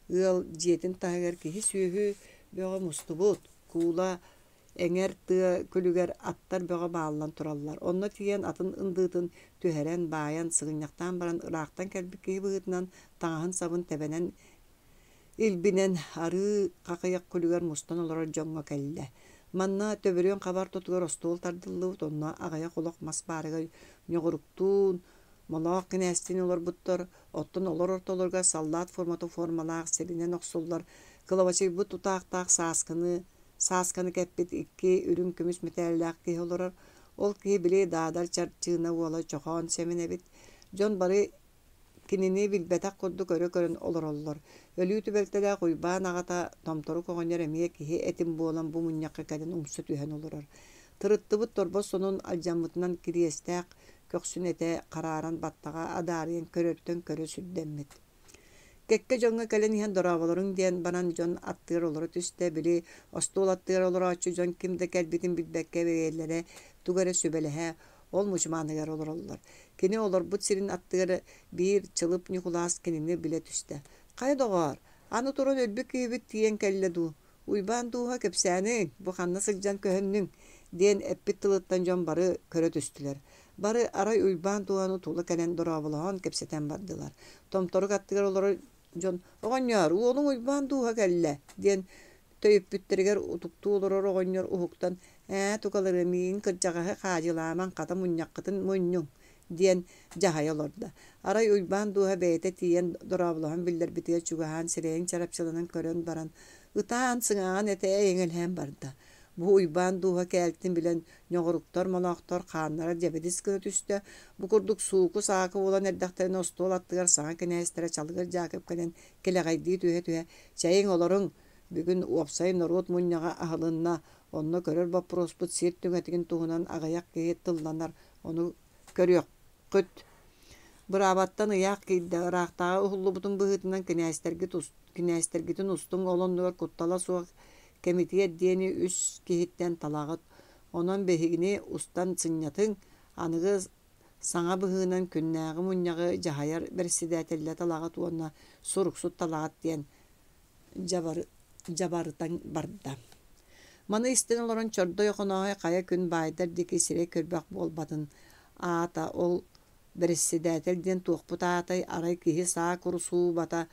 Speaker 1: ыал дьиэтин таһыгар киһи-сүөһү бөҕө мустубут, куула эҥэр тыа күлүгэр аттар бөҕө бааллан тураллар. Онно тиийэн атын ындыытын түһэрэн, баайан, сыгынньахтаан баран ыраахтан кэлбит киһи быһыытынан таҥаһын-сабын тэбэнэн илбинэн арыы хахыйах күлүгэр мустан олорор дьоҥҥо кэллэ. Манна төбөрүөн хабар тотугар остуол тардыллыбыт, онно аҕыйах олох мас баарыгар ньоҕуруктуун, Молоох кинээстиин олорбуттар, оттон олор ортолоругар саллаат формата формалаах сиринэн охсуллар кылабачыйбыт тутаахтаах сааскыны саасканы кэппит икки үрүҥ көмүс мэтээллээх киһи олорор. Ол киһи били Даадар Чарчыына уола Чохоон Сэмэн эбит. Дьон бары Кинини билбэтэх курдук өрө көрөн олороллор. Өлүү түбэлтэлээх Уйбаан аҕата Томторук оҕонньор эмиэ киһи этим буолан бу мунньахха кэлэн умса түһэн олорор. Тырыттыбыт торбос сонун алдьаммытынан кириэстээх көхсүн этэ харааран баттаҕа адаарыйан көрөртөн көрө сүрдэммит. Кэккэ дьоҥҥо кэлэн иһэн дорооболоруҥ диэн баран дьон аттыгар олоро түстэ, били остуол аттыгар олорооччу дьон ким да кэлбитин билбэккэ бэйэлэрэ тугу эрэ сүбэлэһэ ол мучумааныгар олороллор. Кини олорбут сирин аттыгар биир Чылып Ньукулаас кинини билэ түстэ. «Хайа доҕоор, аны туран өлбүт киһибит тиийэн кэллэ дуу? Уйбаан дууһа кэпсээниҥ, бу ханна сылдьан көһүннүҥ?» диэн эппит тылыттан дьон бары көрө түстүлэр. Бары арай Уйбаан дууһаны тула кэлэн дорооболоһон кэпсэтэн бардылар. Томторук аттыгар олорор дьон «Оҕонньоор, уолуҥ Уйбаан дууһа кэллэ» диэн төйүппүттэригэр утуктуу олорор оҕонньор уһуктан «Ээ, тукалары миигин кырдьаҕаһы хаадьылаамаҥ, хата мунньаххытын мунньуҥ» диэн дьаһайа олордо. Арай Уйбаан дууһа бэйэтэ тиийэн дорооболоһон биллэрбитигэр чугаһаан сирэйин чарапчыланан көрөн баран, ытаан сыҥааҕын этэ эйэҥэлэһэн барда. Бу Уйбаан дууһа кээлтин билэн ньоҕоруктар, молоохтор хааннара дьэбидис гына түстэ. Бу курдук сууку-саакы буолан эрдэхтэринэ остуол аттыгар саҥа кинээстэрэ Чалыгыр Дьаакып кэлэн кэлэҕэйдии түһэ-түһэ «Чэйиҥ, олоруҥ, бүгүн уопсай норуот мунньаҕа аһылынна, онно көрөр боппуруоспут сир түҥэтигин туһунан аҕыйах киһи тылланар, ону көрүөххүт». Быраабаттан ыйаах киирдэ, ыраахтааҕы уһуллубутун быһыытынан кинээстэргит кинээстэргитин устуҥ, ол оннугар куттала суох кэмитиэт диэни үс киһиттэн талаҕыт, онон биһигини устан сынньатыҥ, аныгы саҥа быһыынан күннээҕи мунньаҕы дьаһайар бэрэссэдээтэллэ талаҕыт уонна суруксут талаҕыт диэн дьабары, дьабарытан барда. Маны истэн олорон Чордой Охонооһой хайа күн баайдар диэки сирэй көрбөх буолбатын аата ол бэрэссэдээтэл диэн туохпут аатай арай киһи саа курусуубата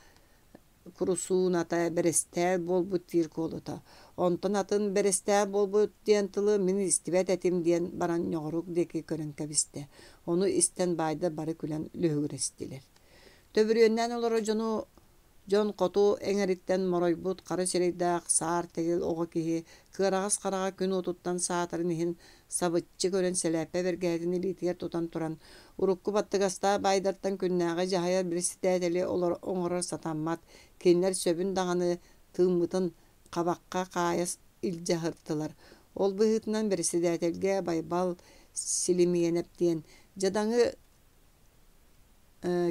Speaker 1: курусууната бэрэстээл буолбут диир куолута. Онтон атын бэрэстээл буолбут диэн тылы мин истибэт этим диэн баран ньоҕорук диэки көрөн кэбистэ. Ону истэн баайдар бары күлэн лүһүгүрэстилэр. Төбүрүөннээн олорор дьону дьон хоту эҥэриттэн моройбут хара сирэйдээх саар тэгил оҕо киһи кыараҕас хараҕа күн уотуттан саатарын иһин сабыччы көрөн сэлээппэ бэргэһэтин илиитигэр тутан туран урукку баттыгастаах баайдартан күннээҕи дьаһайар бэрэссэдээтэли оҥорор сатаммат, кинилэр сөбүн даҕаны тыыммытын хабахха хаайа илдьэ сырыттылар. Ол быһыытынан бэрэссэдээтэлгэ Байбал Силимиэнэп диэн дьадаҥы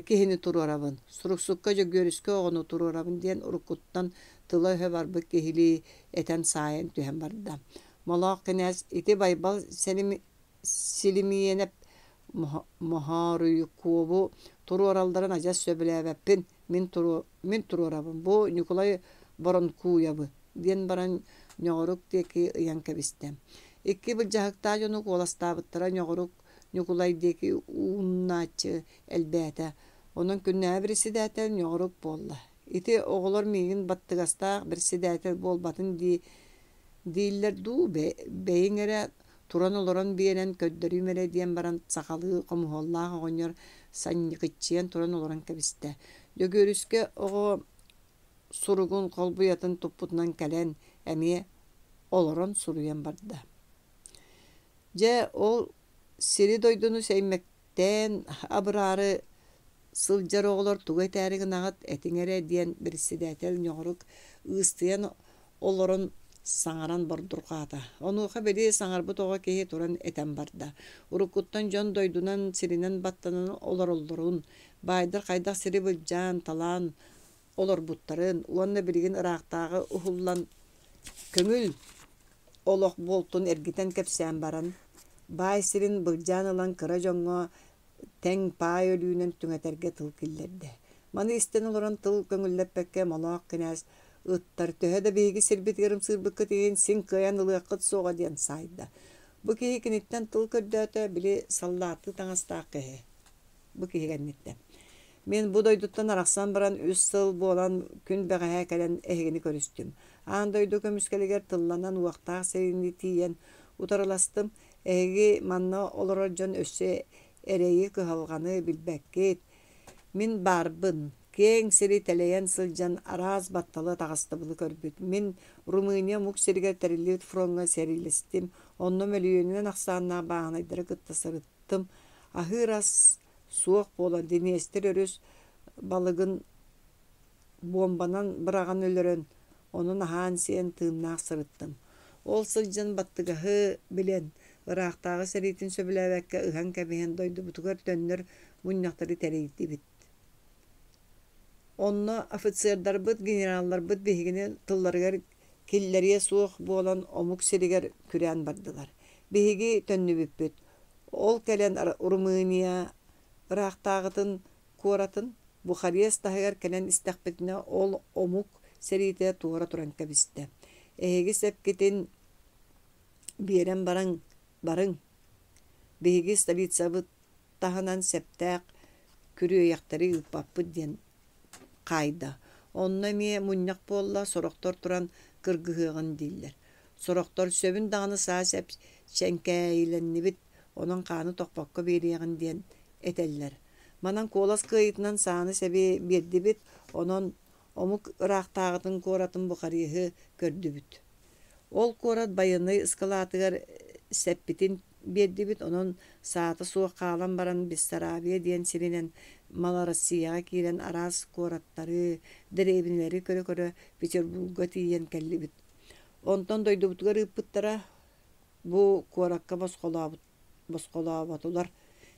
Speaker 1: киһини туруорабын, суруксукка Дьөгүөрүскэ оҕону туруорабын диэн уруккуттан тыла-өһө барбыт киһилии этэн саайан түһэн барда. Молоох кинээс ити Байбал Силимиэнэп Моһоруйкуобу туруоралларын адьас сөбүлээбэппин, мин, туруо, мин туруорабын, бу Ньукулай Боронкуйабы диэн баран ньоҕорук диэки ыйан кэбистэ. Икки былдьаһыктаах дьону куоластаабыттара ньоҕорук Ньукулай диэки ууннааччы элбээтэ. Онон күннээҕи бэрэссэдээтэл ньоҕорук буолла. Ити оҕолор миигин баттыгастаах бэрэссэдээтэл буолбатын дии дииллэр дуу, бэйиҥ эрэ туран-олорон биэрэн көрдөрүүм эрэ диэн баран сахалыы хомуһуоллаах оҕонньор санньыкыччыйан туран олорон кэбистэ. Дьөгүөрүскэ оҕо суругун холбуйатын туппутунан кэлэн эмиэ олорон суруйан барда. Дьэ, ол сири-дойдуну сэймэктээн абыраары сылдьар оҕолор тугу этээри гынаҕыт, этиҥ эрэ диэн бэрэссэдээтэл ньоҕорук ыыстыйан олорон саҥаран бордурҕаата. Онуоха били саҥарбыт оҕо киһи туран этэн барда. Уруккуттан дьон дойдунан сиринэн баттанан олороллорун, баайдар хайдах сири былдьаан, талаан олорбуттарын уонна билигин ыраахтааҕы уһуллан көҥүл олох буолтун эргитэн кэпсээн баран, баай сирин былдьаан ылан кыра дьоҥҥо тэҥ паай өлүүнэн түҥэтэргэ тыл киллэрдэ. Маны истэн олорон тыл көҥүллэппэккэ Молоох кинээс ыттар төһө да биһиги сирбитигэр ымсыырбыккыт иһин син кыайан ылыаххыт суоҕа диэн саайда. Бу киһи киниттэн тыл көрдөөтө, били саллааттыы таҥастаах киһи. Бу киһи кэнниттэн. Мин бу дойдуттан арахсан баран үс сыл буолан күн бэҕэһээ кэлэн эһигини көрүстүм. Аан дойду көмүскэлигэр тылланан уохтаах сэриини тиийэн утарыластым. Эһиги манна олорор дьон өссө эрэйи кыһалҕаны билбэккит. Мин баарбын. Киэҥ сири тэлэйэн сылдьан араас батталы таҕыстыбылы көрбүт. Мин Румыния омук сиригэр тэриллибит фроҥҥа сэриилэстим. Онно мөлүйүөнүнэн ахсааннаах бааһынайдары кытта сырыттым. Аһыыр ас суох буолан Днестр өрүс балыгын буомбанан быраҕан өлөрөн, онон аһаан-сиэн тыыннаах сырыттым. Ол сылдьан баттыгаһы билэн, ыраахтааҕы сэриитин сөбүлээбэккэ ыһан кэбиһэн дойдубутугар төннөр мунньахтары тэрийдибит. Онно офицердарбыт, генералларбыт биһигини тылларыгар киллэриэ суох буолан омук сиригэр күрээн бардылар. Биһиги төннүбүппүт. Ол кэлэн Румыния ыраахтааҕытын куоратын Бухарест таһыгар кэлэн истэхпитинэ ол омук сэриитэ туора туран кэбистэ. Эһиги сэпкитин биэрэн баран барыҥ. Биһиги столицабыт таһынан сэптээх күрүөйэхтэри ыыппаппыт диэн хаайда. Онно эмиэ мунньах буолла, сорохтор туран кыргыһыаҕын дииллэр. Сорохтор сөбүн даҕаны саа сэп чэҥкээйилэннибит, онон хааны тохпокко биэриэҕин диэн этэллэр. Манан куолас кыайыытынан сааны сэби биэрдибит, онон омук ыраахтааҕытын куоратын Бухареһы көрдүбүт. Ол куорат байыаннай ыскылаатыгар сэппитин биэрдибит, онон саата суох хаалан баран Бессарабия диэн сиринэн Малороссияҕа киирэн араас куораттары, дэриэбинэлэри көрө-көрө Петербурга тиийэн кэллибит. Онтон дойдубутугар ыыппыттара, бу куоракка босхолообут, босхолооботулар.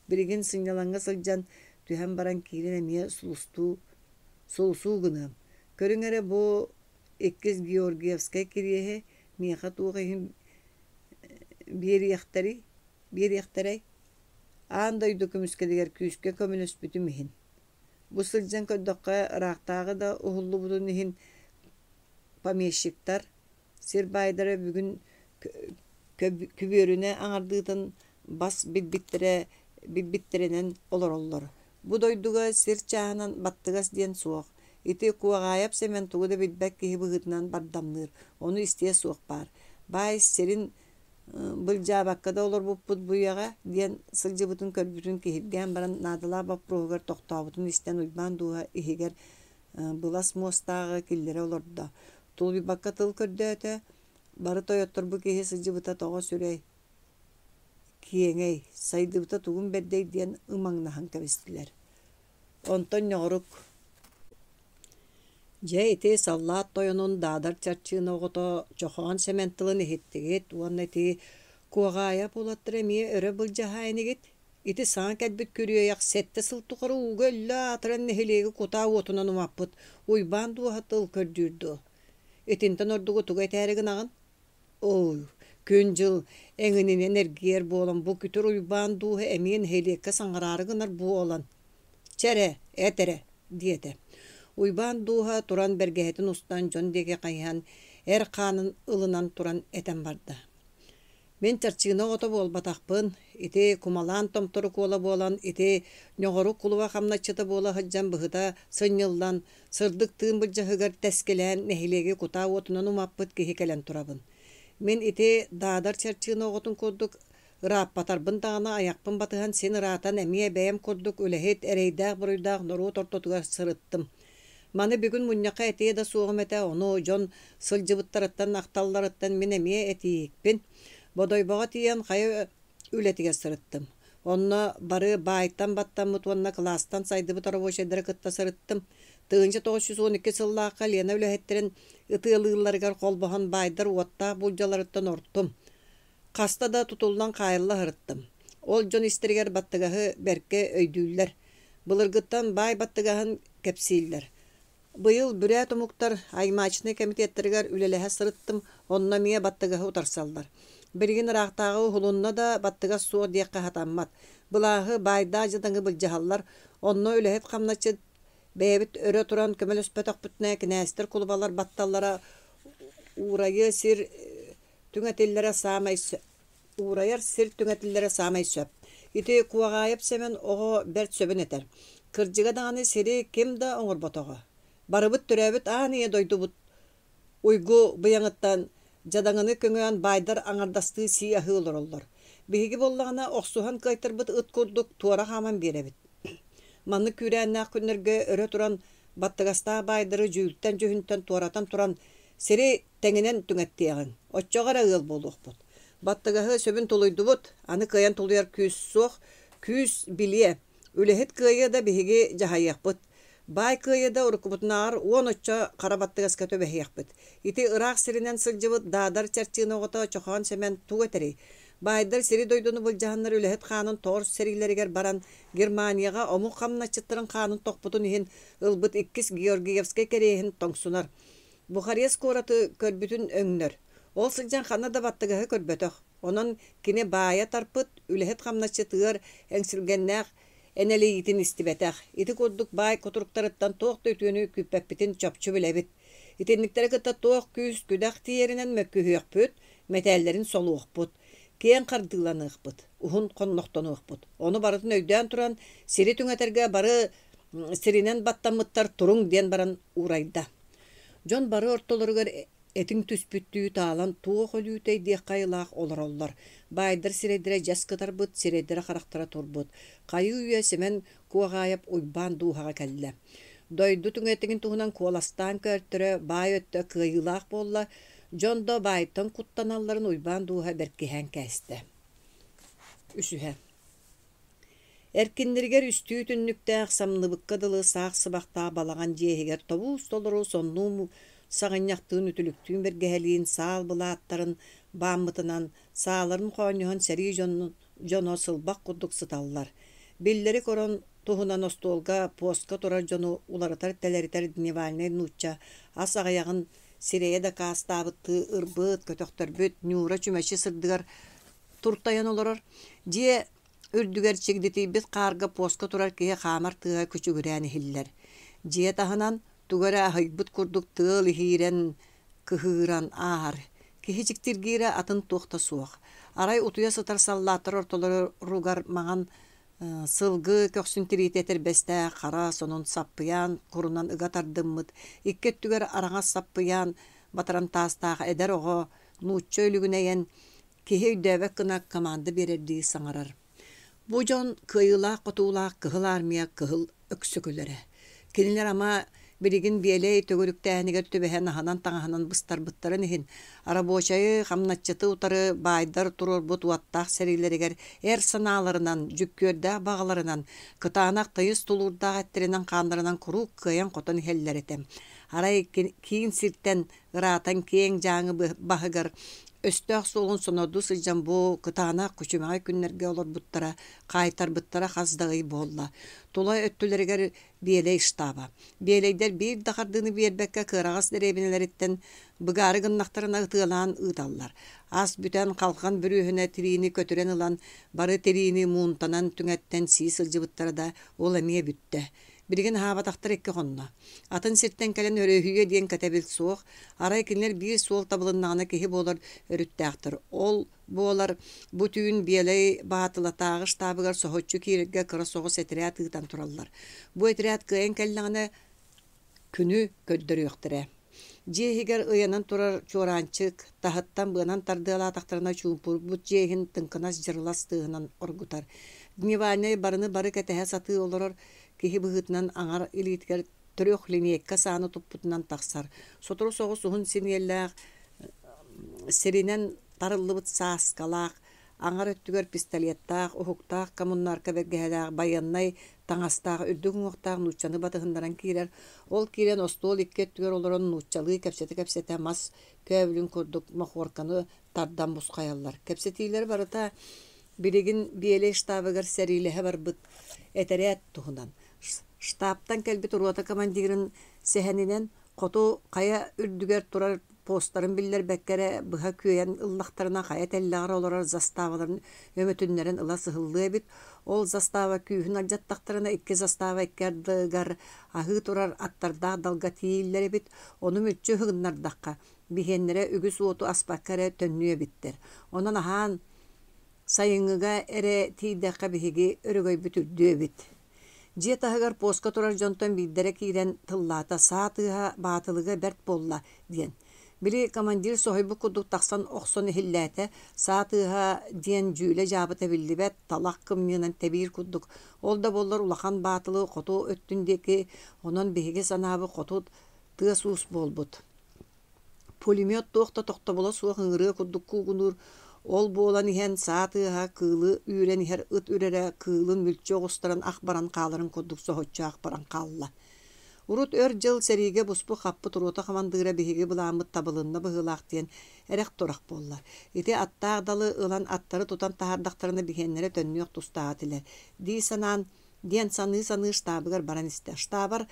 Speaker 1: Билигин сынньалаҥҥа сылдьан түһэн баран киирэн эмиэ сулустуу, сулусуу гыныам. Көрүҥ эрэ бу иккис Георгиевскай кириэһи миэхэ туох иһин биэриэхтэрий, биэриэхтэрэй? Аан дойду көмүскэлигэр күүскэ көмөлөспүтүм иһин. Бу сылдьан көрдөххө, ыраахтааҕы да уһуллубутун иһин помещиктар, сир баайдара бүгүн күбүөрүнэ аҥардыытын бас билбиттэрэ билбиттэринэн олороллор. Бу дойдуга сир чааһынан баттыгас диэн суох. Ити Куоҕаайап Сэмэн тугу да билбэт киһи быһыытынан бардамныыр, ону истиэ суох баар. Баай сирин былдьаабакка да олорбуппут бу үйэҕэ диэн сылдьыбытын көрбүтүн киһиргээн баран наадалаах боппуруоһугар тохтообутун истэн Уйбаан дууһа иһигэр былас муостааҕы киллэрэ олордо. Тулуйбакка тыл көрдөөтө, бары тойоттор бу киһи сылдьыбыта тоҕо сүрэй, киэҥэй, сайдыбыта тугун бэрдэй диэн ымаҥнаһан кэбистилэр. Онтон ньоҕорук Дьэ ити саллаат тойонун Даадар Чарчыына оҕото Чохоон Сэмэн тылын иһиттигит уонна ити Куоҕаайап уолаттара эмиэ өрө былдьаһаа инигит? Ити саҥа кэлбит күрүөйэх сэттэ сыл тухары ууга өллө аатыран нэһилиэги кутаа уотунан умаппыт Уйбаан дууһа тыл көрдүүр дуо? Итинтэн ордугу тугу этээри гынаҕын? Ой, күн-дьыл эҥининэн эргийэр буолан бу күтүр Уйбаан дууһа эмиэ нэһилиэккэ саҥараары гынар буолан «Чэ эрэ, эт эрэ» диэтэ. Уйбаан дууһа туран бэргэһэтин устан дьон диэки хайыһан эр хаанын ылынан туран этэн барда. Мин чарчыына оҕото буолбатахпын, ити кумалаан томторук уола буолан, ити ньоҕорук кулуба хамначчыта буола сылдьан быһыта сынньыллан, сырдык тыын былдьаһыгар тэскилээн нэһилиэги кутаа уотунан умаппыт киһи кэлэн турабын. Мин ити Даадар чарчыына оҕотун курдук ырааппатарбын даҕаны айахпын батыһан син ыраатан эмиэ бэйэм курдук үлэһит, эрэйдээх-буруйдаах норуот ортотугар сырыттым. Маны бүгүн мунньахха этиэ да суоҕум этэ, ону дьон сылдьыбыттарыттан, ахталларыттан мин эмиэ этиикпин. Бодойбоҕо тиийэн хайа үлэтигэр сырыттым. Онно бары баайтан баттаммыт уонна кылаастан сайдыбыт рабочайдары кытта сырыттым. Тыһыынча тоҕус жүз уон икки сыллаахха Лена үлэһиттэрин ытыалыылларыгар холбоһон баайдар уоттаах булдьаларыттан ортум. Хаста да тутуллан хаайылла сырыттым. Ол дьон истэригэр баттыгаһы бэркэ өйдүүллэр. Былыргыттан баай баттыгаһын кэпсииллэр. Быйыл бүрээт омуктар аймачнай комитеттарыгар үлэлэһэ сырыттым, онно эмиэ баттыгаһы утарсаллар. Билигин ыраахтааҕы уһулунна да баттыгас суох диэххэ сатаммат. Былааһы баайдаах дьадаҥы былдьаһаллар, онно үлэһит хамначчыт бэйэбит өрө туран көмөлөспөтөхпүтүнэ кинээстэр кулубалар батталлара уурайыа сир түҥэтиллэрэ саамай уурайар сир түҥэтиллэрэ саамай сөп. Ити Куоҕаайап Сэмэн оҕо бэрт сөбүн этэр. Кырдьыга даҕаны сири ким да оҥорботоҕо. Барыбыт төрөөбүт аан ийэ дойдубут уйгу быйаҥыттан дьадаҥыны көҥөөн баайдар аҥардастыы сии аһыы олороллор. Биһиги буоллаҕына охсуһан кыайтарбыт ыт курдук туора хааман биэрэбит. Маннык күүрээннээх күннэргэ өрө туран баттыгастаах баайдары дьүүлтэн-дьүһүнтэн туоратан туран сири тэҥинэн түҥэттиэҕиҥ, оччоҕо эрэ ыал буолуохпут. Баттыгаһы сөбүн тулуйдубут, аны кыайан тулуйар күүс суох, күүс билиэ, үлэһит кыайыа да биһиги дьаһайыахпыт. Баай кыайыыда уруккубутунааҕар уон оччо хара баттыгаска түбэһиэхпит. Ити ыраах сиринэн сылдьыбыт Даадар Чарчыына оҕото Чохоон Сэмэн тугу этэрий? Баайдар сири-дойдуну былдьаһаннар үлэһит хаанын тоҕор сэриилэригэр баран, Германияҕа омук хамначчыттарын хаанын тохпутун иһин ылбыт иккис Георгиевскай кэриэһин тоҥсунар. Бухарест куораты көрбүтүн өҥнөр. Ол сылдьан ханна да баттыгаһы көрбөтөх. Онон кини баайа тарпыт, үлэһит хамначчыт ыар эҥсилгэннээх энэлийиитин истибэтэх. Ити курдук баай кутуруктарыттан туох да үтүөнү күүппэппитин чопчу билэбит. Итинниктэри кытта туох күүс-күдэх тиийэринэн мөккүһүөхпүт, мэтээллэрин солуохпут, киэҥ хардыыланыахпыт, уһун хоннохтонуохпут. Ону барытын өйдөөн туран, сири түҥэтэргэ бары сиринэн баттаммыттар туруҥ диэн баран уурайда. Дьон бары ортолоругар этиҥ түспүттүү таалан туох өлүүтэй диэххэ айылаах олороллор. Баайдар сирэйдэрэ дьэс кытарбыт, сирэйдэрэ-харахтара турбут. Хайыы-үйэ Сэмэн Куоҕаайап Уйбаан дууһаҕа кэллэ. Дойду түҥэтигин туһунан куоластаан көөртөрө, баай өттө кыайыылаах буолла, дьон да баайтан куттаналларын Уйбаан дууһа бэркиһээн кээстэ. Үсүһэ. Эркиннэригэр үстүү түннүктээх, самныбыкка дылы саах сыбахтаах балаҕан дьиэ иһигэр тобуус-толору соннуу саҕынньахтыын үтүлүктүүн бэргэһэлиин саал былааттарын бааммытынан, сааларын хоонньоһон сэрии дьонун дьоно сылбах курдук сыталлар. Биллэри корон туһунан остуолга, постка турар дьону уларытар-тэлэритэр дневальнай нуучча ас аҕыйаҕын сирэйэ дакаастаабыттыы ырбыт, көтөхтөрбүт Ньуура чүмэчи сырдыгар туртайан олорор. Дьиэ үрдүгэр чигдитийбит хаарга постка турар киһи хаамар тыаһа күчүгүрээн иһиллэр. Дьиэ таһынан тугу эрэ аһыйбыт курдук тыал иһиирэн, кыһыыран ааһар. Киһи дьиктиргиирэ атын туох да суох. Арай утуйа сытар саллааттар ортолоругар маҥан сылгы көхсүн тириитэ этэрбэстээх хара сонун саппыйаан курунан ыга тардыммыт, икки өттүгэр араҥас саппыйаан батарантаастаах эдэр оҕо нуучча өлүгүнэйэн киһи өйдөөбөт гына команда биэрэрдии саҥарар. Бу дьон кыайыылаах-хотуулаах Кыһыл Армия кыһыл өксөкүлэрэ. Кинилэр ама билигин биэлэй төгүрүктээһинигэр түбэһэн аһынан-таҥаһынан быстарбыттарын иһин, рабочайы, хамначчыты утары баайдар туруорбут уоттаах сэриилэригэр эр санааларынан, дьүккүөрдээх баҕаларынан, кытаанах тыйыс тулуурдаах эттэринэн-хааннарынан куруук кыайан-хотон иһэллэр этэ. Арай киин сиртэн ыраатан киэҥ Дьааҥы баһыгар өстөөх суолун сонордуу сылдьан бу кытаанах күчүмэҕэй күннэргэ олорбуттара, хаайтарбыттара хас да ый буолла. Тула өттүлэригэр Биэлэй штаба. Биэлэйдэр биир да хардыыны биэрбэккэ кыараҕас дэриэбинэлэриттэн быгаары гыннахтарына ытыалаан ыыталлар. Ас бүтэн халҕан бүрүөһүнэ тириини көтүрэн ылан бары тириини муунтанан түҥэттэн сии сылдьыбыттара да ол эмиэ бүттэ. Билигин аһаабатахтар икки хонно. Атын сиртэн кэлэн өрүһүйүө диэн кэтэбил суох. Арай кинилэр биир суол табылыннаҕына киһи буолар өрүттээхтэр. Ол буолар бу түүн Биэлэй Баатылатааҕы штабыгар соһуччу киирэргэ кыра соҕус этэрээт ыытан тураллар. Бу этэрээт кыайан кэллэҕинэ күнү көрдөрүөхтэрэ. Дьиэ иһигэр ыйанан турар чуораанчык таһыттан быанан тардыалаатахтарына чуумпурбут дьиэ иһин тыҥкынас дьырылас тыаһынан оргутар. Дневальнай барыны бары кэтэһэ сатыы олорор киһи быһыытынан аҥар илиитигэр трехлинейка сааны туппутунан тахсар. Сотору соҕус уһун синиэллээх сиринэн тарыллыбыт сааскалаах, аҥар өттүгэр пистолеттаах, уһуктаах коммунарка бэргэһэлээх, байыаннай таҥастаах, үрдүк уҥуохтаах нууччаны батыһыннаран киирэр. Ол киирэн остуол икки өттүгэр олорон нууччалыы кэпсэтэ-кэпсэтэ мас көөбүлүн курдук мохуорканы тардан бусхайаллар. Кэпсэтиилэр барыта билигин Биэлэй штабыгар сэриилэһэ барбыт этэрээт туһунан. Штабтан кэлбит рота командирын сэһэнинэн хоту хайа үрдүгэр турар постарын биллэрбэккэ эрэ быһа күөйэн ыллахтарына хайа тэллэҕэр олорор заставаларын өҥөтүннэрэн ыла сыһыллыа эбит. Ол застава күүһүн алдьаттахтарына икки застава икки ардыгар аһыы турар аттардаах далга тиийиллэр эбит. Ону мүччү ыһыгыннардахха биһиэннэрэ үгүс уоту аспакка эрэ төннүө эбиттэр. Онон аһаан сайыҥҥыга эрэ тиийдэххэ биһиги өрөгөйбүт үрдүө эбит. Дьиэ таһыгар постка турар дьонтон биирдэрэ киирэн тыллаата саа тыаһа баатылыга бэрт буолла диэн. Били командир соһуйбут курдук тахсан охсон иһиллээтэ, саа тыаһа диэн дьүүлэ-дьаабыта биллибэт, талах кымньыынан тэбиир курдук. Ол да буоллар улахан баатылы хоту өттүн диэки, онон биһиги санаабыт хоту тыас-уус буолбут. Пулемет туох да тохтобула суох ыҥырыа курдук куугунуур, ол буолан иһэн саа тыаһа кыылы үүрэн иһэр ыт үрэрэ кыылын мүлчү оҕустаран ах баран хааларын курдук соһуччу ах баран хаалла. Урут өр дьыл сэриигэ буспут-хаппыт рота хамандыыра биһиги былааммыт табылынна быһыылаах диэн эрэх-турах буолла. Ити аттаах далы ылан аттары тутан таһаардахтарына биһиэннэрэ төннүөх тустаах этилэр дии санаан диэн саныы-саныы штабыгар баран истэ. Штабар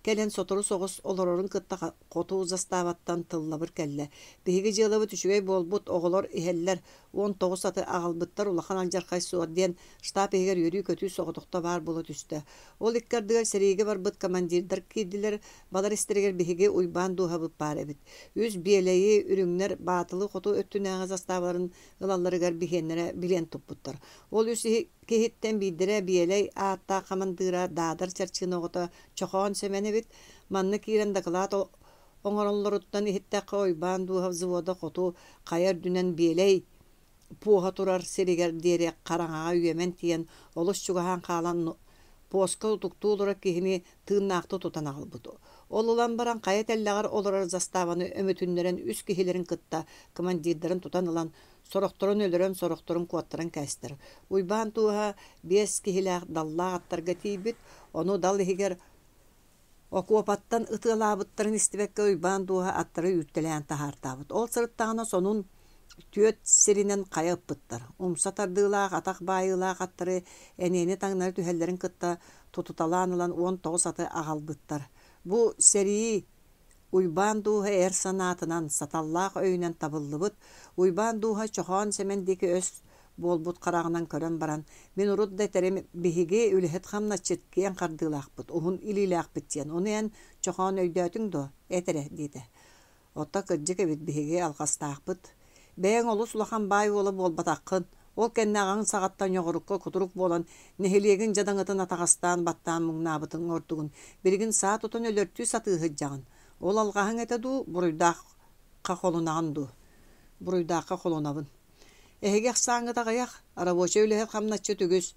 Speaker 1: кэлэн сотору соҕус олорорун кытта хоту заставаттан тыллабыр кэллэ. Биһиги дьыалабыт үчүгэй буолбут, оҕолор иһэллэр, уон тоҕус аты аҕалбыттар, улахан алдьархай суох диэн штаб иһигэр үөрүү-көтүү соҕотохто баар буола түстэ. Ол икки ардыгар сэриигэ барбыт командирдар киирдилэр, балар истэригэр биһиги Уйбаан Дууһабыт баар эбит. Үс Биэлэйи, Үрүҥнэр Баатылы хоту өттүнээҕи заставаларын ылалларыгар биһиэннэрэ билиэн туппуттар. Ол үс киһиттэн биирдэрэ Биэлэй ааттаах хамандыыра Даадар Чарчыына оҕото Чохоон Сэмэн эбит. Манна киирэн дакылаат оҥороллоруттан иһиттэххэ, Уйбаан Дууһа взвода хоту хайа үрдүнэн Биэлэй пуоһа турар сиригэр диэри хараҥаҕа үөмэн тиийэн, олус чугаһаан хаалан пуоска утуктуу олорор киһини тыыннаахтыы тутан аҕалбыт. Ол ылан баран хайа тэллэҕэр олорор заставаны өмүтүннэрэн үс киһилэрин кытта командирдарын тутан ылан, сорохторун өлөрөн, сорохторун куоттаран кээстэр. Уйбаан Дууһа биэс киһилээх даллаах аттарга тиийбит, ону дал иһигэр окуопаттан ытыалаабыттарын истибэккэ Уйбаан Дууһа аттары үүртэлээн таһаартаабыт. Ол сырыттаҕына сонун түөрт сиринэн хайа ыппыттар. Умса тардыылаах, атах баайыылаах аттары эниэни таҥнары түһэллэрин кытта тутуталаан ылан уон тоҕус аты аҕалбыттар. Бу сэрии Уйбаан Дууһа эр санаатынан, саталлаах өйүнэн табыллыбыт. Уйбаан Дууһа Чохоон Сэмэн диэки өс буолбут хараҕынан көрөн баран, мин урут да этэрим, биһиги үлэһит хамначчыт киэҥ хардыылаахпыт, уһун илиилээхпит диэн. Ону эн, Чохоон, өйдөөтүҥ дуо? Эт эрэ, диэтэ. Оттон кырдьык эбит, биһиги алҕастаахпыт. Бэйэҥ олус улахан баай уола буолбатаххын. Ол кэннэ аҕаҥ саҕаттан ньоҕорукка кутурук буолан, нэһилиэгин дьадаҥытын атаҕастаан баттаан муҥнаабытыҥ ордугун. Билигин саа тутан өлөртүү сатыы сылдьаҕын. Ол алҕаһыҥ этэ дуу, буруйдаахха холоноҕун дуу? Буруйдаахха холонобун. Эһиги ахсааҥҥыт аҕыйах, рабочай үлэһит хамначчыт үгүс.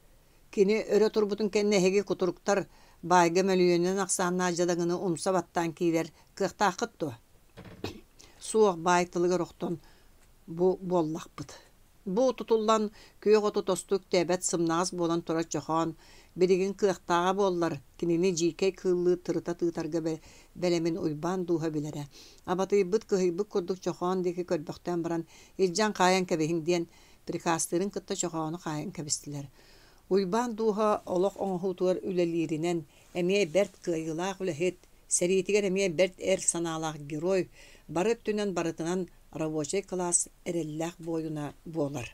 Speaker 1: Кини өрө турбутун кэннэ эһиги кутуруктар баайга мөлүйүөнүнэн ахсааннаах дьадаҥыны умса баттаан киирэр кыахтааххыт дуо? Суох, баай тылыгар охтон бу буоллахпыт. Бу тутуллан күөх оту тосту үктээбэт сымнаҕас буолан турар Чохоон билигин кыахтааҕа буоллар, кинини дьиикэй кыыллыы тырыта тыытарга бэлэмин Уйбаан Дууһа билэрэ. Абатыйбыт, кыһыйбыт курдук Чохоон диэки көрбөхтөөн баран, илдьэн хаайан кэбиһиҥ диэн приказтыырын кытта Чохоону хаайан кэбистилэр. Уйбаан Дууһа олох оҥоһуутугар үлэлииринэн эмиэ бэрт кыайыылаах үлэһит, сэриитигэр эмиэ бэрт эр санаалаах герой, бары өттүнэн барытынан рабочай кылаас эрэллээх буойуна буолар.